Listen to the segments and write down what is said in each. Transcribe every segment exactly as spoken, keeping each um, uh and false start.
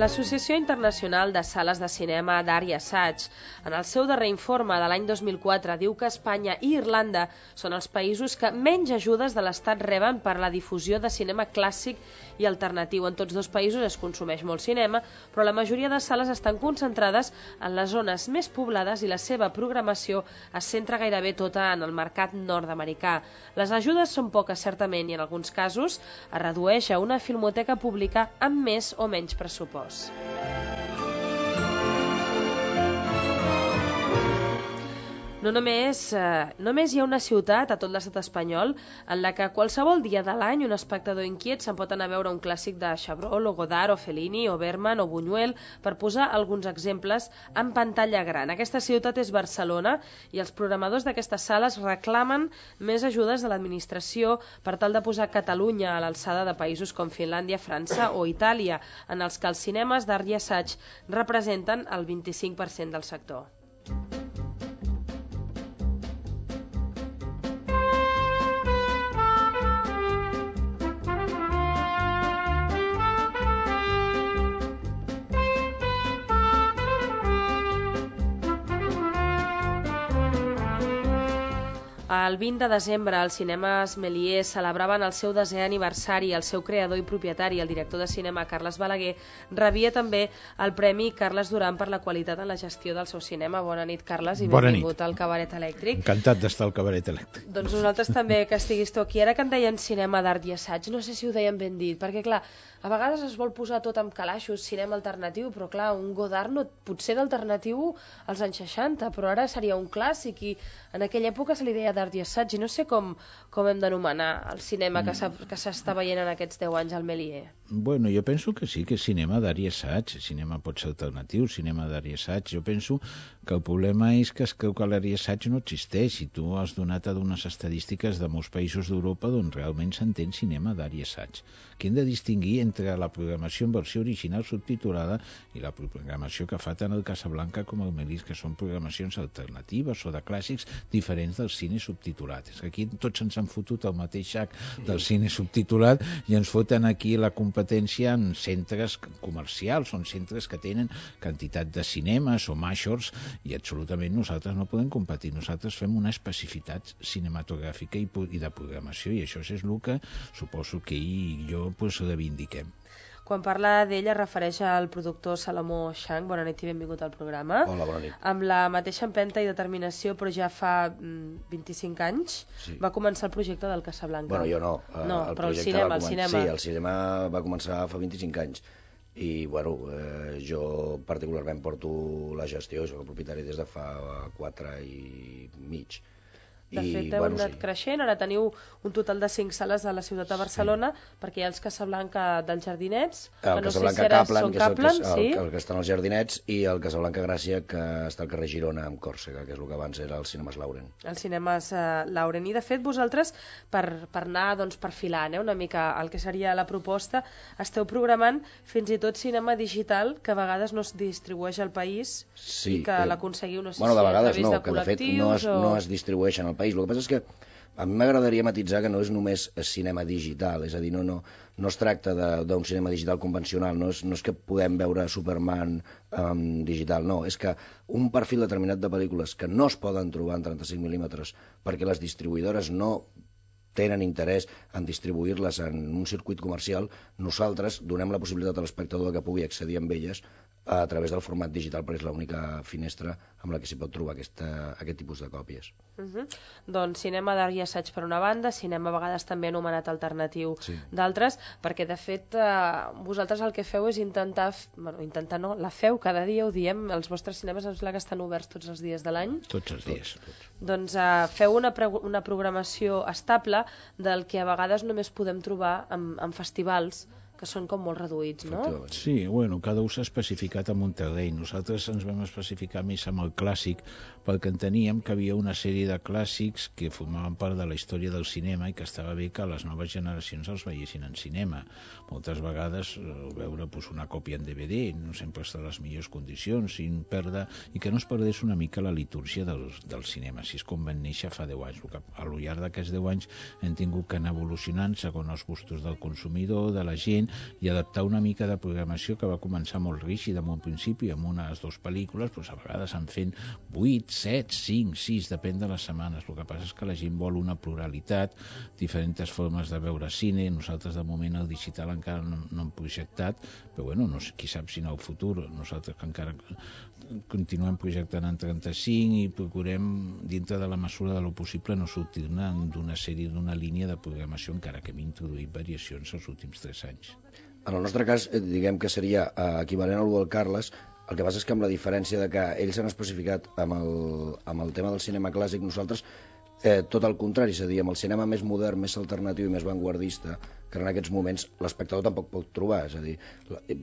L'Associació Internacional de Sales de Cinema d'Art i Assaig, en el seu darrer informe de l'any dos mil quatre, diu que Espanya i Irlanda són els països que menys ajudes de l'Estat reben per la difusió de cinema clàssic i alternatiu. En tots dos països es consumeix molt cinema, però la majoria de sales estan concentrades en les zones més poblades i la seva programació es centra gairebé tota en el mercat nord-americà. Les ajudes són poques, certament, i en alguns casos es redueix a una filmoteca pública amb més o menys pressupost. No només, eh, només hi ha una ciutat a tot l'estat espanyol en la que qualsevol dia de l'any un espectador inquiet se'n pot anar a veure un clàssic de Chabrol o Godard o Fellini o Bergman o Buñuel, per posar alguns exemples, en pantalla gran. Aquesta ciutat és Barcelona i els programadors d'aquestes sales reclamen més ajudes de l'administració per tal de posar Catalunya a l'alçada de països com Finlàndia, França o Itàlia, en els que els cinemes d'art i assaig representen el vint-i-cinc per cent del sector. El vint de desembre, els cinemes Méliès celebraven el seu desè aniversari. El seu creador i propietari, el director de cinema Carles Balaguer, rebia també el Premi Carles Duran per la qualitat en la gestió del seu cinema. Bona nit, Carles, i benvingut al Cabaret Elèctric. Encantat d'estar al Cabaret Elèctric. Doncs nosaltres també, que estiguis tu aquí. Ara que en deien cinema d'art i assaig, no sé si ho deien ben dit, perquè clar, a vegades es vol posar tot amb calaixos, cinema alternatiu, però clar, un Godard no, potser d'alternatiu als anys seixanta, però ara seria un clàssic i en aquella època se li deia d'art i assaig i no sé com, com hem d'anomenar el cinema que s'està veient en aquests deu anys al Méliès. Bueno, jo penso que sí, que és cinema d'art i assaig. Cinema pot ser alternatiu, cinema d'art i assaig. Jo penso que el problema és que es creu que l'art i assaig no existeix i tu has donat a unes estadístiques de molts països d'Europa on realment s'entén cinema d'art i assaig. Que hem de distingir entre la programació en versió original subtitulada i la programació que fa tant el Casablanca com el Méliès, que són programacions alternatives o de clàssics diferents del cine subtitulat. És que aquí tots ens han fotut el mateix sac del cine subtitulat i ens foten aquí la competència en centres comercials, són centres que tenen quantitat de cinemes o majors i absolutament nosaltres no podem competir. Nosaltres fem una especificitat cinematogràfica i de programació i això és el que suposo que ell i jo pues, reivindiquem. Quan parla d'ell es refereix al productor Salomó Chang. Bona nit i benvingut al programa. Hola, bona nit. Amb la mateixa empenta i determinació, però ja fa vint-i-cinc anys, sí. Va començar el projecte del Casablanca. Bueno, jo no. No, el però el cinema, el cinema. Sí, el cinema va començar fa vint-i-cinc anys. I, bueno, eh, jo particularment porto la gestió, soc el propietari des de fa quatre i mig. De fet, heu bueno, anat sí. creixent, ara teniu un total de cinc sales a la ciutat de Barcelona, sí. Perquè hi ha els Casablanca dels Jardinets, el que no Casablanca sé si ara Kaplan, són que és el, Kaplan, que, sí? el, el que està als Jardinets, i el Casablanca Gràcia, que està al carrer Girona, amb Còrsega, que és el que abans era el Cinemes Lauren. El Cinemes uh, Lauren. I, de fet, vosaltres, per, per anar doncs, perfilant eh, una mica el que seria la proposta, esteu programant fins i tot cinema digital, que a vegades no es distribueix al país, sí, i que eh, l'aconseguiu, no sé bueno, si de vegades a través no, de que de fet no es, o... no es distribueixen al país. El que passa és que a mi m'agradaria matitzar que no és només cinema digital, és a dir, no, no, no es tracta d'un cinema digital convencional, no és, no és que podem veure Superman um, digital, no, és que un perfil determinat de pel·lícules que no es poden trobar en trenta-cinc mil·límetres perquè les distribuïdores no tenen interès en distribuir-les en un circuit comercial, nosaltres donem la possibilitat a l'espectador que pugui accedir amb elles a través del format digital, perquè és l'única finestra amb la que s'hi pot trobar aquesta, aquest tipus de còpies. Uh-huh. Doncs cinema d'art i assaig per una banda, cinema a vegades també anomenat alternatiu sí. D'altres, perquè de fet eh, vosaltres el que feu és intentar, bueno, intentar no, la feu cada dia, ho diem, els vostres cinemes em sembla que estan oberts tots els dies de l'any. Tots els dies. Tots. Doncs eh, feu una, una programació estable del que a vegades només podem trobar en, en festivals que són com molt reduïts, no? Sí, bueno, cada un s'ha especificat en un terreny. Nosaltres ens vam especificar més amb el clàssic perquè enteníem que havia una sèrie de clàssics que formaven part de la història del cinema i que estava bé que les noves generacions els veiessin en cinema. Moltes vegades veure pues, una còpia en D V D no sempre està en les millors condicions i, perdre, i que no es perdés una mica la litúrgia del, del cinema, si és com van néixer fa deu anys. Que a lo llarg d'aquests deu anys hem tingut que anar evolucionant segons els gustos del consumidor, de la gent, i adaptar una mica de programació que va començar molt rígida en un principi, amb unes dues pel·lícules, doncs a vegades en fent vuit, set, cinc, sis, depèn de les setmanes. El que passa és que la gent vol una pluralitat, diferents formes de veure cine. Nosaltres de moment el digital encara no, no hem projectat, però bueno, no sé, qui sap si en el futur, nosaltres que encara continuem projectant en trenta-cinc i procurem, dintre de la mesura de lo possible, no sortir-ne d'una sèrie, d'una línia de programació, encara que hem introduït variacions els últims tres anys. En el nostre cas, diguem que seria equivalent al del Carles. El que passa és que amb la diferència de que ells han especificat amb el, amb el tema del cinema clàssic, nosaltres eh, tot el contrari, és a dir, amb el cinema més modern, més alternatiu i més vanguardista, que en aquests moments l'espectador tampoc pot trobar, és a dir,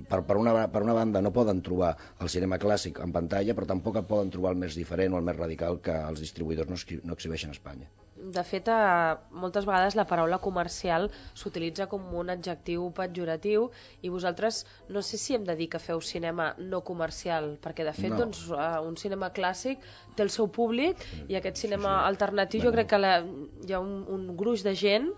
per, per, una, per una banda no poden trobar el cinema clàssic en pantalla, però tampoc poden trobar el més diferent o el més radical que els distribuïdors no, no exhibeixen a Espanya. De fet, eh, moltes vegades la paraula comercial s'utilitza com un adjectiu pejoratiu i vosaltres no sé si hem de dir que feu cinema no comercial, perquè de fet no. doncs, eh, un cinema clàssic té el seu públic i aquest cinema sí, sí. alternatiu bueno. jo crec que la, hi ha un, un gruix de gent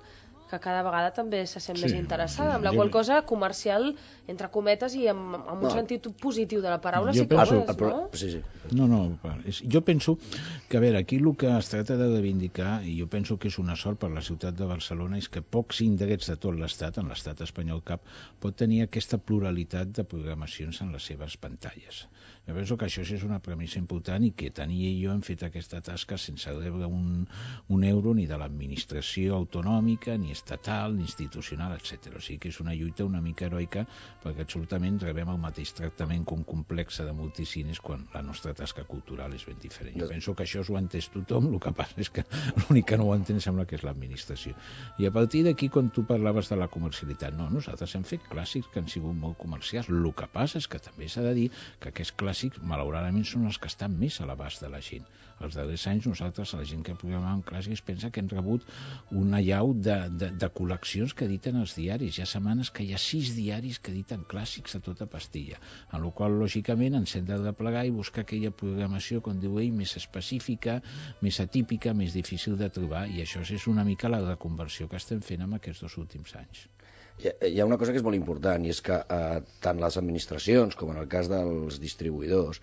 que cada vegada també se sent sí, més interessada, sí, amb la qual cosa comercial, entre cometes, i amb, amb un no. sentit positiu de la paraula, jo sí que penso, ho és, no? Sí, sí. No, no, jo penso que, a veure, aquí el que es tracta de reivindicar, i jo penso que és una sort per la ciutat de Barcelona, és que pocs indrets de tot l'estat, en l'estat espanyol cap, pot tenir aquesta pluralitat de programacions en les seves pantalles. Jo penso que això és una premissa important i que Tani i jo hem fet aquesta tasca sense rebre un, un euro ni de l'administració autonòmica, ni estatal, ni institucional, etcètera. O sigui que és una lluita una mica heroica perquè absolutament rebem el mateix tractament com complexa de multicines quan la nostra tasca cultural és ben diferent. Jo penso que això ho ha entès tothom, el que passa és que l'únic que no ho entén sembla que és l'administració. I a partir d'aquí, quan tu parlaves de la comercialitat, no, nosaltres hem fet clàssics que han sigut molt comercials. El que passa és que també s'ha de dir que aquests clàssics malauradament són els que estan més a l'abast de la gent. Els darrers anys nosaltres, la gent que programàvem clàssics, pensa que hem rebut una llau de, de, de col·leccions que editen els diaris. Hi ha setmanes que hi ha sis diaris que editen clàssics a tota pastilla, en la qual lògicament ens hem de plegar i buscar aquella programació, com diu ell, més específica, més atípica, més difícil de trobar, i això és una mica la reconversió que estem fent en aquests dos últims anys. Hi ha una cosa que és molt important, i és que eh, tant les administracions com en el cas dels distribuïdors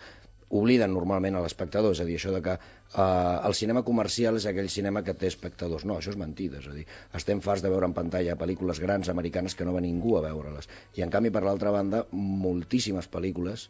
obliden normalment a l'espectador, és a dir, això de que eh, el cinema comercial és aquell cinema que té espectadors. No, això és mentida, és a dir, estem farts de veure en pantalla pel·lícules grans americanes que no va ningú a veure-les. I en canvi, per l'altra banda, moltíssimes pel·lícules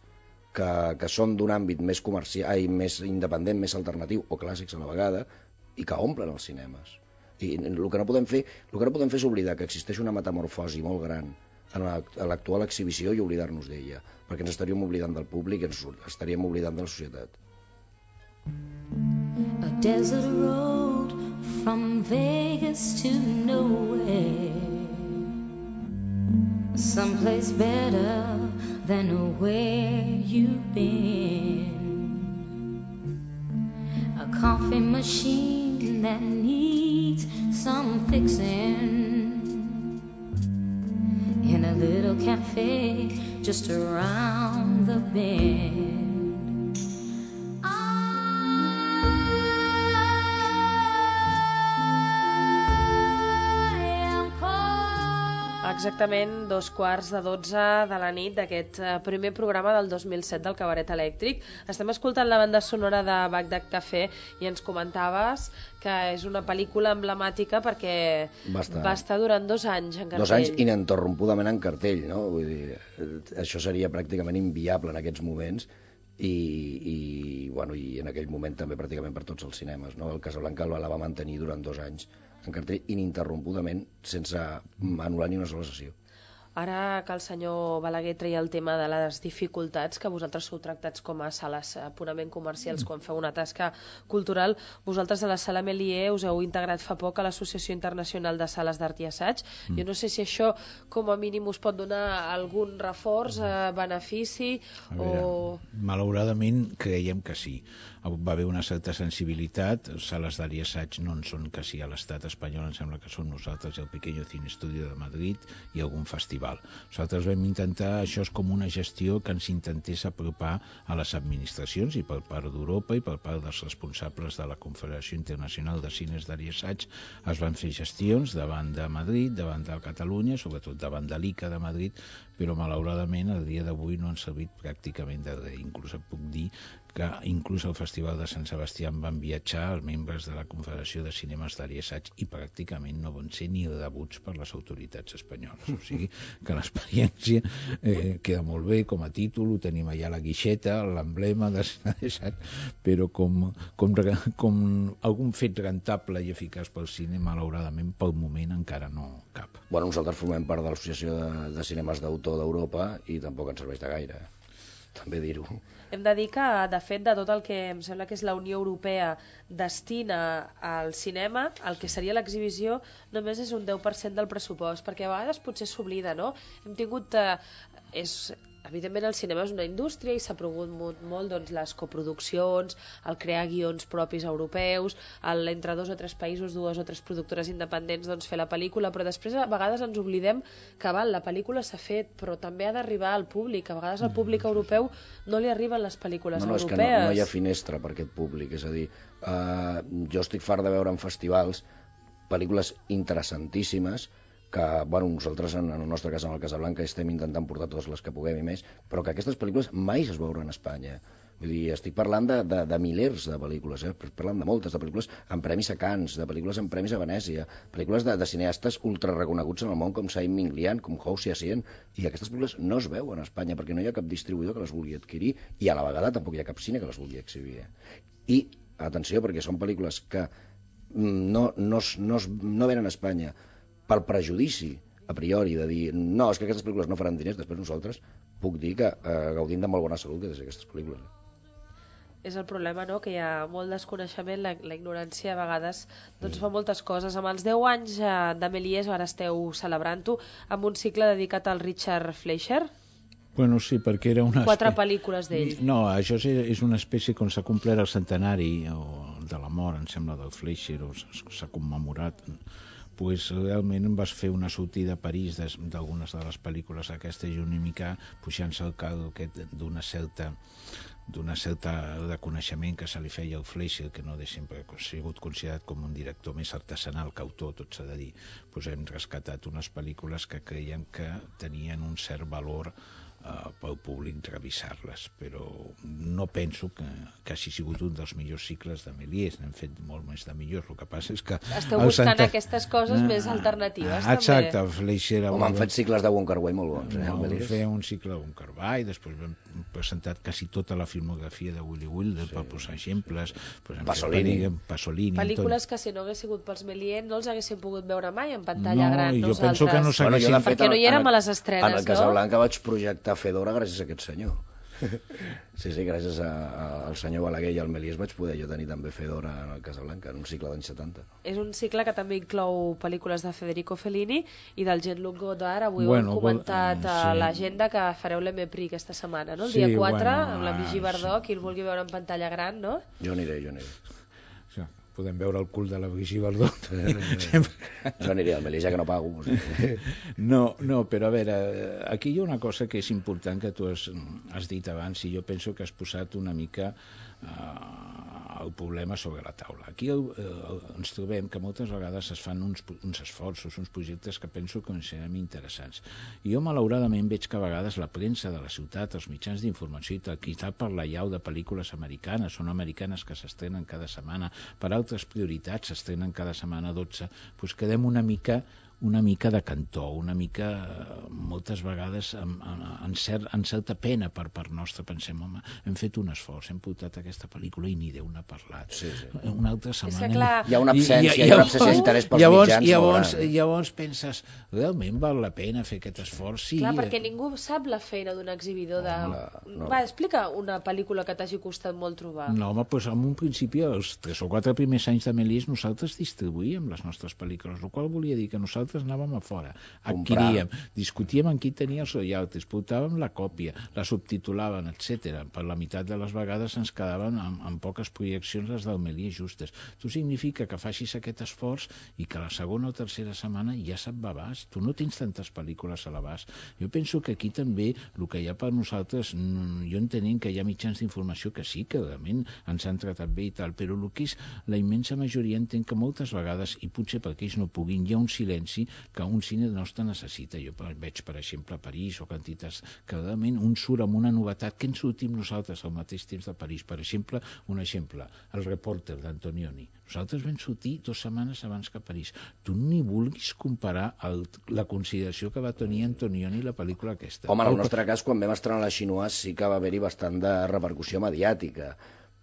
que, que són d'un àmbit més comercial, ai, més independent, més alternatiu, o clàssics a la vegada, i que omplen els cinemes. I el que no podem fer, el que no podem fer és oblidar que existeix una metamorfosi molt gran en l'actual exhibició i oblidar-nos d'ella, perquè ens estaríem oblidant del públic i ens estaríem oblidant de la societat. A desert road from Vegas to nowhere, someplace better than where you've been, a coffee machine that needs some fixing, in a little cafe just around the bend. Exactament dos quarts de dotze de la nit d'aquest primer programa del dos mil set del Cabaret Elèctric. Estem escoltant la banda sonora de Bagdad Café i ens comentaves que és una pel·lícula emblemàtica perquè va estar, va estar durant dos anys en cartell. Dos anys ininterrompudament en cartell, no? Vull dir, això seria pràcticament inviable en aquests moments i, i, bueno, i en aquell moment també pràcticament per tots els cinemes, no? El Casablanca la va mantenir durant dos anys en cartell ininterrompudament sense anul·lar ni una sola sessió. Ara que el senyor Balaguer treia el tema de les dificultats, que vosaltres sou tractats com a sales purament comercials quan feu una tasca cultural, vosaltres a la Sala Méliès us heu integrat fa poc a l'Associació Internacional de Sales d'Art i Assaig. Mm. Jo no sé si això com a mínim us pot donar algun reforç, eh, benefici a veure, o... Malauradament creiem que sí. Va haver una certa sensibilitat. Sales d'art i assaig no en són quasi a l'estat espanyol, em sembla que som nosaltres i el Pequeño Cine Estudio de Madrid i algun festival festival. Nosaltres vam intentar, això és com una gestió que ens intentés apropar a les administracions, i per part d'Europa i per part dels responsables de la Confederació Internacional de Cines d'Art i Assaig es van fer gestions davant de Madrid, davant de Catalunya, sobretot davant de l'I C A de Madrid, però malauradament el dia d'avui no han servit pràcticament de res. Inclús et puc dir que inclús al Festival de Sant Sebastià van viatjar els membres de la Confederació de Cinemes d'Art i Assaig i pràcticament no van ser ni rebuts per les autoritats espanyoles. O sigui que l'experiència eh, queda molt bé com a títol, ho tenim allà a la guixeta, l'emblema de Sant Assaig, però com, com, com algun fet rentable i eficaç pel cine, malauradament pel moment encara no cap. Bueno, nosaltres formem part de l'Associació de, de Cinemes d'Autor d'Europa i tampoc ens serveix de gaire, també dir-ho. Hem de dir que, de fet, de tot el que em sembla que és la Unió Europea destina al cinema, el que seria l'exhibició només és un deu per cent del pressupost, perquè a vegades potser s'oblida, no? Hem tingut... Eh, és, evidentment el cinema és una indústria i s'ha promogut molt doncs, les coproduccions, el crear guions propis europeus, el, entre dos o tres països, dues o tres productores independents doncs, fer la pel·lícula, però després a vegades ens oblidem que val, la pel·lícula s'ha fet, però també ha d'arribar al públic. A vegades al públic europeu no li arriben les pel·lícules no, no, europees. No, és que no, no hi ha finestra per aquest públic, és a dir, uh, jo estic fart de veure en festivals pel·lícules interessantíssimes que, bueno, nosaltres en, en el nostre cas, en el Casablanca, estem intentant portar totes les que puguem i més, però que aquestes pel·lícules mai es veuran a Espanya. Vull dir, estic parlant de, de, de milers de pel·lícules, eh? Parlant de moltes, de pel·lícules amb premis a Cannes, de pel·lícules amb premis a Venècia, pel·lícules de, de cineastes ultra reconeguts en el món com Saïm Minglian, com Hou Hsien, i aquestes pel·lícules no es veuen a Espanya perquè no hi ha cap distribuïdor que les vulgui adquirir i a la vegada tampoc hi ha cap cine que les vulgui exhibir. I, atenció, perquè són pel·lícules que no, no, no, no venen a Espanya pel prejudici a priori de dir, no, és que aquestes pel·lícules no faran diners, després nosaltres puc dir que eh, gaudim de molt bona salut des d'aquestes pel·lícules. És el problema, no?, que hi ha molt desconeixement, la, la ignorància a vegades doncs, fa moltes coses. Amb els deu anys eh, de Méliès, ara esteu celebrant-ho, amb un cicle dedicat al Richard Fleischer. Bueno, sí, perquè era una... Quatre pel·lícules d'ell. No, això és, és una espècie, com s'ha complert el centenari o de la mort, em sembla, del Fleischer, o s'ha commemorat... pues realment em vas fer una sortida a París d'algunes de les pel·lícules aquestes i una mica pujant-se al carro d'una certa d'una certa reconeixement que se li feia al Fleischer, que no de sempre ha sigut considerat com un director més artesanal que autor, tot s'ha de dir. Pues hem rescatat unes pel·lícules que creiem que tenien un cert valor Uh, pel públic revisar-les, però no penso que, que hagi sigut un dels millors cicles de Méliès, n'hem fet molt més de millors, el que passa és que... Esteu buscant Santa... aquestes coses uh, més alternatives, uh, exacte, també. Exacte, Fleischer... Home, han fet cicles de Wong Kar-wai molt bons, eh, no, el Méliès. Feia un cicle de Wong Kar-wai, després vam presentat quasi tota la filmografia de Willy Wilder, sí, per posar exemples, sí. Pasolini. Pasolini. Pel·lícules tot. Que si no hagués sigut pels Méliès no els haguéssim pogut veure mai en pantalla no, gran, jo nosaltres. Penso que no bueno, perquè no hi érem a les estrenes, no? En el Casablanca vaig projectar Fedora gràcies a aquest senyor. Sí, sí, gràcies a, a, al senyor Balaguer i al Méliès vaig poder jo tenir també Fedora en el Casablanca, en un cicle d'anys setanta. És un cicle que també inclou pel·lícules de Federico Fellini i del Jean-Luc Godard. Avui bueno, ho hem comentat vol... a sí. l'agenda que fareu l'Emepri aquesta setmana, no? El sí, dia quatre, bueno, amb la Vigi Bardó, sí. qui el vulgui veure en pantalla gran, no? Jo aniré, jo aniré. Sí. Podem veure el cul de la Brigitte Bardot. Jo aniré al Méliès, ja que no pago. No, no, però a veure, aquí hi ha una cosa que és important que tu has, has dit abans i jo penso que has posat una mica uh, el problema sobre la taula. Aquí uh, ens trobem que moltes vegades es fan uns, uns esforços, uns projectes que penso que serem interessants. I jo malauradament veig que a vegades la premsa de la ciutat, els mitjans d'informació i tal, qui està per la llau de pel·lícules americanes, són americanes que s'estrenen cada setmana, per altres prioritats s'estrenen cada setmana dotze, doncs quedem una mica una mica de cantó, una mica moltes vegades amb, amb, cert, amb certa pena per part nostra. Pensem, home, hem fet un esforç, hem portat aquesta pel·lícula i ni Déu n'ha parlat. Sí, sí. Una altra setmana... Clar... Hi ha una absència, hi ha una absència d'interès pels llavors, mitjans. Llavors, llavors penses, realment val la pena fer aquest esforç? Sí. Clar, perquè ningú sap la feina d'un exhibidor de... No, no. Va, explica una pel·lícula que t'hagi costat molt trobar. No, home, doncs en un principi, els tres o quatre primers anys de Méliès, nosaltres distribuïem les nostres pel·lícules, el qual volia dir que nosaltres nosaltres anàvem a fora, adquiríem, Comprar. discutíem amb qui tenia els royalties, portàvem la còpia, la subtitulaven, etcètera. Per la meitat de les vegades ens quedaven amb, amb poques projeccions les del Melier justes. Tu significa que facis aquest esforç i que la segona o tercera setmana ja se't va a l'abast. Tu no tens tantes pel·lícules a l'abast. Jo penso que aquí també el que hi ha per nosaltres, jo entenent que hi ha mitjans d'informació que sí, que realment ens han tratat bé i tal, però el que és la immensa majoria entenc que moltes vegades, i potser perquè ells no puguin, hi ha un silenci que un cine nostre necessita. Jo veig, per exemple, a París o quantitats que realment un surt amb una novetat que ens sortim nosaltres al mateix temps de París. Per exemple, un exemple, el Reporter d'Antonioni. Nosaltres vam sortir dues setmanes abans que a París. Tu ni vulguis comparar el, la consideració que va tenir Antonioni la pel·lícula aquesta. Home, en el nostre cas, quan vam estrenar la Xinois sí que va haver-hi bastant de repercussió mediàtica,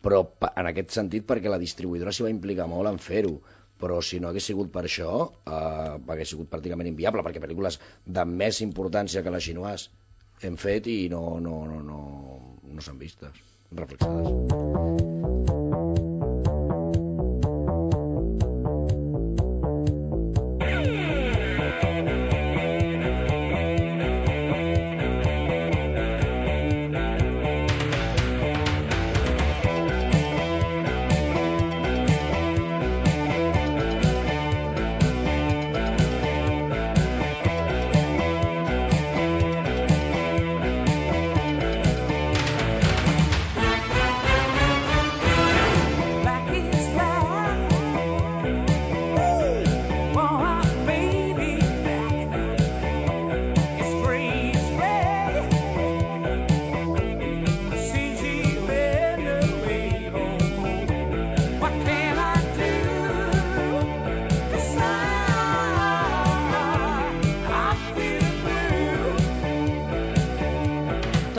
però en aquest sentit perquè la distribuïdora s'hi va implicar molt en fer-ho. Però si no hagués sigut per això, eh, hagués sigut pràcticament inviable, perquè pel·lícules de més importància que la Xinois hem fet i no, no, no, no, no s'han vistes, reflexades.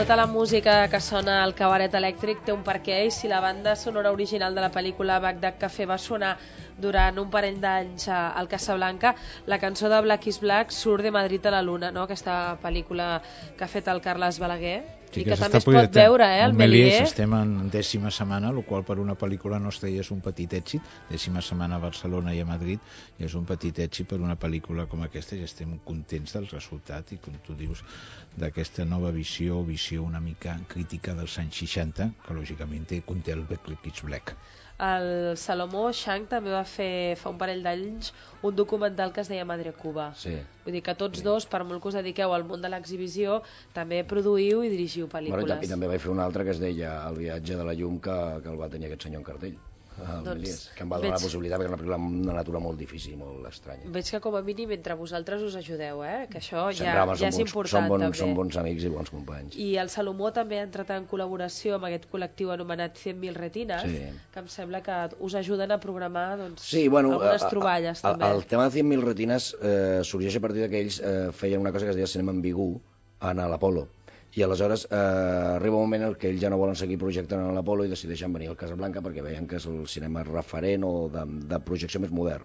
Tota la música que sona al Cabaret Elèctric té un perquè, i si la banda sonora original de la pel·lícula Bagdad Café va sonar durant un parell d'anys al Casablanca, la cançó de Black is Black surt de Madrid a la Luna, no? Aquesta pel·lícula que ha fet el Carles Balaguer. Sí, i que, que també es pot veure, eh, el Melier. Estem en dècima setmana, el qual per una pel·lícula nostra ja és un petit èxit. Dècima setmana a Barcelona i a Madrid ja és un petit èxit per una pel·lícula com aquesta, i estem contents del resultat i, com tu dius, d'aquesta nova visió, visió una mica crítica dels anys seixanta, que lògicament conté el Black is Black. El Salomó Shank també va fer fa un parell d'anys un documental que es deia Madre Cuba. Sí. Vull dir que tots sí. dos, per molt que us dediqueu al món de l'exhibició, també produïu i dirigiu pel·lícules. Bueno, i, i també vaig fer un altre que es deia El viatge de la llum, que, que el va tenir aquest senyor en cartell. El doncs, Melies, que em va donar veig... la possibilitat, perquè és una pel·lícula amb una natura molt difícil, molt estranya. Veig que com a mínim entre vosaltres us ajudeu, eh? Que això ja, Sempre, home, ja és bons, important som bon, també. Som bons amics i bons companys. I el Salomó també ha entrat en col·laboració amb aquest col·lectiu anomenat cent mil retines, sí. que em sembla que us ajuden a programar doncs, sí, bueno, algunes a, a, troballes a, també. El tema de cent mil retines eh, sorgeix a partir que ells eh, feien una cosa que es deia cinema ambigu en l'Apolo. I aleshores eh, arriba un moment en què ells ja no volen seguir projectant a l'Apolo i decideixen venir al Casablanca perquè veien que és el cinema referent o de, de projecció més modern.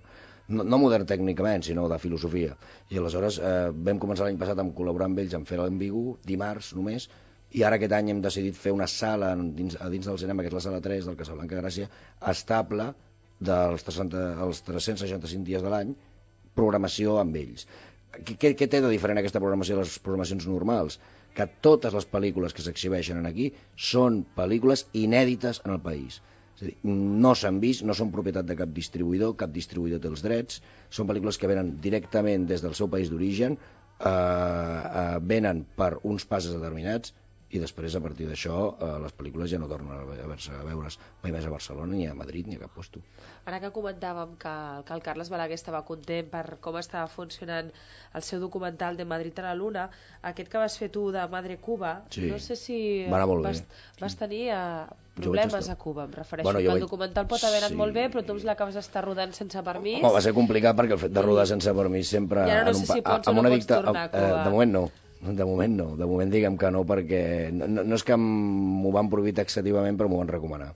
No, no modern tècnicament, sinó de filosofia. I aleshores eh, vam començar l'any passat a col·laborar amb ells en fer l'ambigu, dimarts només, i ara aquest any hem decidit fer una sala dins, a dins del cinema, que és la sala tres del Casablanca Gràcia, estable dels tres-cents seixanta-cinc dies de l'any, programació amb ells. Què, què té de diferent aquesta programació de les programacions normals? Que totes les pel·lícules que s'exhibeixen aquí són pel·lícules inèdites en el país. És a dir, no s'han vist, no són propietat de cap distribuïdor, cap distribuïdor té els drets, són pel·lícules que venen directament des del seu país d'origen, eh, eh, venen per uns passes determinats, i després, a partir d'això, eh, les pel·lícules ja no tornen a veure's, a veure's mai més a Barcelona, ni a Madrid, ni a cap lloc. Ara que comentàvem que, que el Carles Balaguer estava content per com estava funcionant el seu documental de Madrid a la Luna, aquest que vas fer tu de Madre Cuba, sí. no sé si vas, vas tenir uh, problemes a Cuba, em refereixo, bueno, que el vaig... documental pot haver anat sí. molt bé, però tu l'acabes d'estar rodant sense permís. Home, va ser complicat perquè el fet de rodar sense permís sempre... I ara no sé si pots o no pots dicta... tornar a Cuba. Eh, de moment no. De moment no, de moment diguem que no, perquè no, no és que m'ho van prohibir taxativament, però m'ho van recomanar.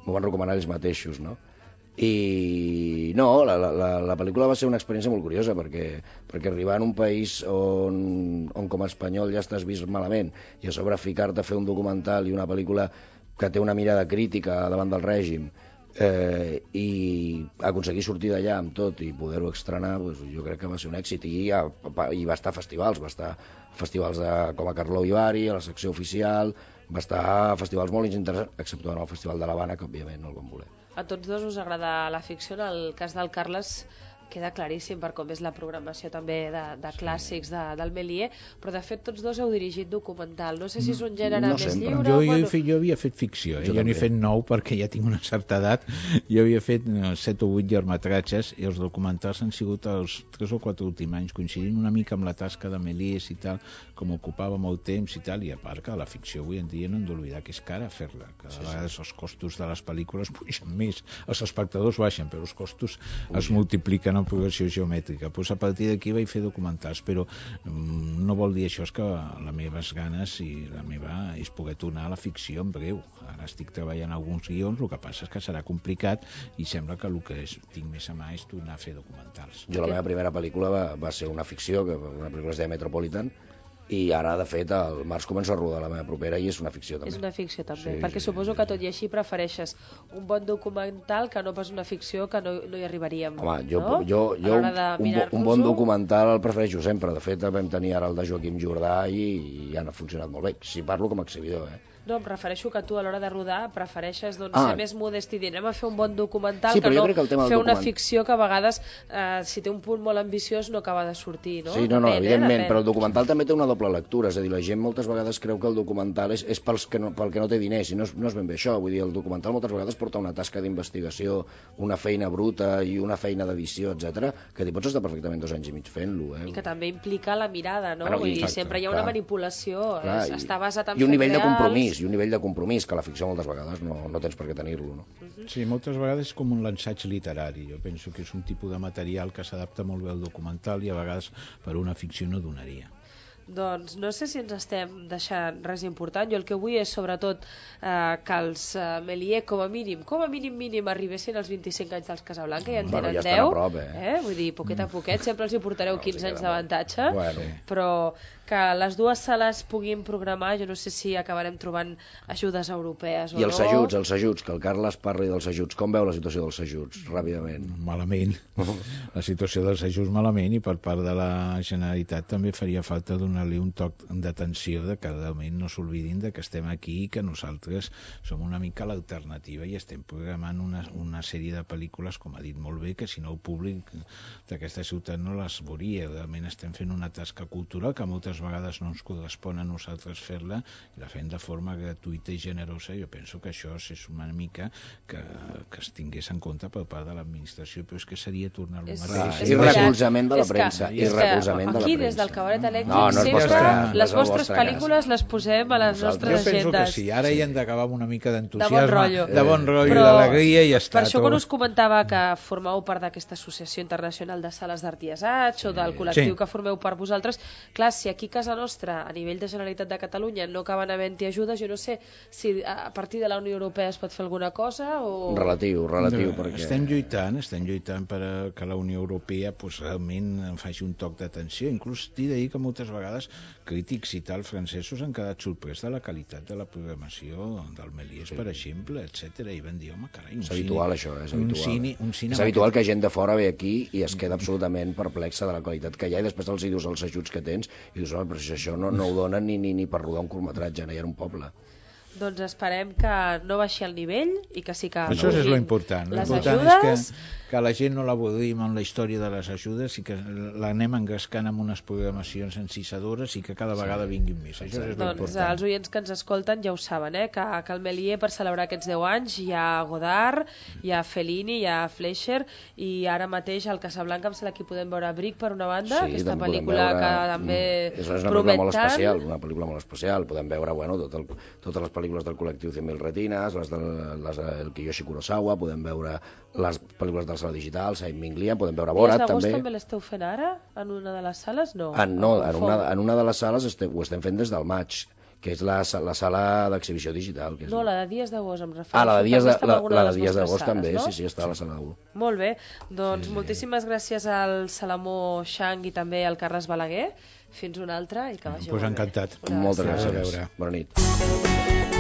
M'ho van recomanar ells mateixos, no? I no, la, la, la pel·lícula va ser una experiència molt curiosa, perquè, perquè arribar en un país on, on com a espanyol ja estàs vist malament, i a sobre ficar-te a fer un documental i una pel·lícula que té una mirada crítica davant del règim, eh, i aconseguir sortir d'allà amb tot i poder-ho estrenar, doncs, jo crec que va ser un èxit, i, ja, i va estar a festivals, va estar a festivals de, com a Carlou i Bari, a la secció oficial, va estar a festivals molt interessants, exceptuant el Festival de l'Havana, que òbviament no el van voler. A tots dos us agrada la ficció. En el cas del Carles queda claríssim per com és la programació també de, de clàssics de, del Méliès, però de fet tots dos heu dirigit documental. No sé si és un gènere no més sempre. lliure. Jo, bueno... jo, fet, jo havia fet ficció, eh? Jo jo n'he també. fet nou perquè ja tinc una certa edat. Jo havia fet no, set o vuit llargmetratges i els documentals han sigut els tres o quatre últims anys, coincidint una mica amb la tasca de Méliès i tal, com ocupava molt temps i tal, i a part que la ficció avui en dia no hem d'oblidar que és cara fer-la, que a sí, vegades sí. els costos de les pel·lícules pugen més, els espectadors baixen, però els costos Puja. es multipliquen en progressió geomètrica. Pues a partir d'aquí vaig fer documentals, però mm, no vol dir això és que les meves ganes i la meva és poder tornar a la ficció en breu. Ara estic treballant alguns guions, el que passa és que serà complicat i sembla que el que és, tinc més a mà és tornar a fer documentals. Jo la meva primera pel·lícula va, va ser una ficció, que una pel·lícula es deia Metropolitan, i ara, de fet, el març començo a rodar la meva propera i és una ficció també. És una ficció també, Sí, perquè sí, suposo sí, que sí. tot i així prefereixes un bon documental que no pas una ficció que no, no hi arribaríem. Home, jo, no? jo, jo A un, l'hora de un, bo- un mirar-nos-ho. bon documental el prefereixo sempre. De fet, vam tenir ara el de Joaquim Jordà i, i han funcionat molt bé. Si parlo com a exhibidor, eh? No, em refereixo que tu a l'hora de rodar prefereixes doncs, Ah. ser més modest i dir anem a fer un bon documental Sí, que però jo no crec que el tema del fer una document- ficció que a vegades, eh, si té un punt molt ambiciós, no acaba de sortir, no? Sí, no, no, Depèn, evidentment, eh? Depèn. però el documental també té una doble lectura, és a dir, la gent moltes vegades creu que el documental és, és pels que no, pel que no té diners, i no és, no és ben bé això. Vull dir, el documental moltes vegades porta una tasca d'investigació, una feina bruta i una feina d'edició, etcètera, que t'hi pots estar perfectament dos anys i mig fent-lo, eh? I que també implica la mirada, no? Bueno, Vull dir, exacte, sempre hi ha clar. una manipulació, Clar, es, i- està basat en i un fets nivell de reals. compromís, i un nivell de compromís que la ficció moltes vegades no, no tens per què tenir-lo, no? Sí, moltes vegades és com un l'ensaig literari. Jo penso que és un tipus de material que s'adapta molt bé al documental i a vegades per una ficció no donaria. Doncs no sé si ens estem deixant res important. Jo el que vull és sobretot eh, que els eh, Méliès com a mínim, com a mínim mínim arribessin als vint-i-cinc anys dels Casablanca, ja en Bueno, tenen ja estan a deu, prop, eh? Vull dir, poquet a poquet, sempre els hi portareu No, quinze els hi anys queda molt. d'avantatge, Bueno. però que les dues sales puguin programar, jo no sé si acabarem trobant ajudes europees o I els no. ajuts, els ajuts, que el Carles parli dels ajuts. Com veu la situació dels ajuts, ràpidament? Malament. La situació dels ajuts malament, i per part de la Generalitat també faria falta donar-li un toc d'atenció de que realment no s'oblidin de que estem aquí i que nosaltres som una mica l'alternativa i estem programant una, una sèrie de pel·lícules, com ha dit molt bé, que si no el públic d'aquesta ciutat no les veuria. Realment estem fent una tasca cultural que moltes vegades no ens correspon a nosaltres fer-la i la fem de forma gratuïta i generosa. Jo penso que això és una mica que, que es tingués en compte per part de l'administració, però és que seria tornar-lo És- a és I veritat. recolzament de la És que- premsa, i és que recolzament de la aquí, premsa. des del Cabaret Elèctric, No, no és sempre vostre cas, no les és el vostres vostre cas. pel·lícules les posem a les Nosaltres- nostres Jo penso que agendes. sí, ara hi hem d'acabar amb una mica De d'entusiasme, bon rotllo. de bon rotllo, Però d'alegria i ja està. Per això quan tot. us comentava que formeu part d'aquesta Associació Internacional de Sales d'Art i Assaig o del col·lectiu Sí. que formeu part vosaltres, clar, si aquí a casa nostra, a nivell de Generalitat de Catalunya, no acaben havent-hi ajudes, jo no sé si a partir de la Unió Europea es pot fer alguna cosa o... Relatiu, relatiu, No, perquè... Estem lluitant, estem lluitant per a que la Unió Europea pues, realment en faci un toc d'atenció. Inclús t'he de dir que moltes vegades crítics i tal francesos han quedat sorprès de la qualitat de la programació del Méliès, sí. per exemple, etcètera. I van dir, home, carai, un És habitual, cine, això, és un habitual. cine, un cine és habitual que gent de fora ve aquí i es queda absolutament perplexa de la qualitat que hi ha, i després els hi dius els ajuts que tens i dius, home, però si això no, no ho donen ni, ni, ni per rodar un curtmetratge, no hi ha un poble. Doncs esperem que no baixi el nivell i que sí que... Això és pugin l'important. Les L'important ajudes... és que, que la gent no l'avorrim amb la història de les ajudes i que l'anem engrescant amb unes programacions encisadores i que cada vegada vinguin més. Això és Doncs l'important. els oients que ens escolten ja ho saben, eh? que, que el Méliès, per celebrar aquests deu anys, hi ha Godard, hi ha Fellini, hi ha Fleischer, i ara mateix al Casablanca em sembla que hi podem veure Bric, per una banda, Sí, aquesta també podem pel·lícula veure- que també és una pel·lícula promet molt tant. especial, una pel·lícula molt especial. Podem veure, bueno, tot el, totes les pel·lícules del col·lectiu cent mil Retinas, les de les del Kiyoshi Kurosawa, podem veure les pel·lícules del sala digital, Saint Minglia, podem veure Dies Borat, d'agost també. també l'esteu fent ara, en una de les sales? No, En, no, em en confon. una, en una de les sales estem, ho estem fent des del maig, que és la, la sala d'exhibició digital. Que és... No, la de Dies d'agost em refereixo. Ah, la de Dies També de- està en la- alguna la de de les Dies vostres d'agost sales, també, no? sí, sí, està a la sala u. Molt bé, doncs sí, moltíssimes gràcies al Salamó Xang i també al Carles Balaguer. Fins una altra i que vagi Pues molt bé. encantat. Una Moltes abraçada. A gràcies. veure. Bona nit.